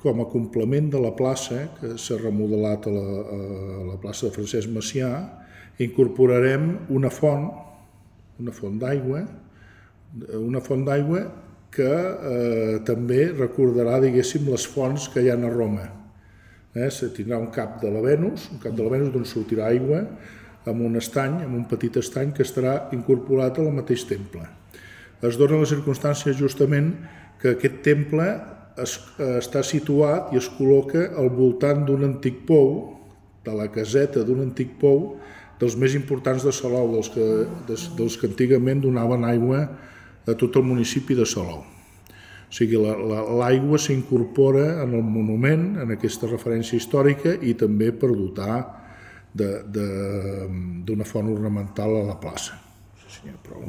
com a complement de la plaça, que s'ha remodelat a la plaça de Francesc Macià, incorporarem una font d'aigua que també recordarà, diguéssim, les fonts que hi ha a Roma. Se tindrà un cap de la Venus d'on sortirà aigua, amb un petit estany que estarà incorporat al mateix temple. Es dona la circumstància justament que aquest temple està situat i es col·loca al voltant d'un antic pou, de la caseta d'un antic pou, dels més importants de Salou, dels que antigament donaven aigua a tot el municipi de Salou. O sigui, l'aigua s'incorpora en el monument, en aquesta referència històrica, i també per dotar d'una font ornamental a la plaça. No sé si n'hi ha prou,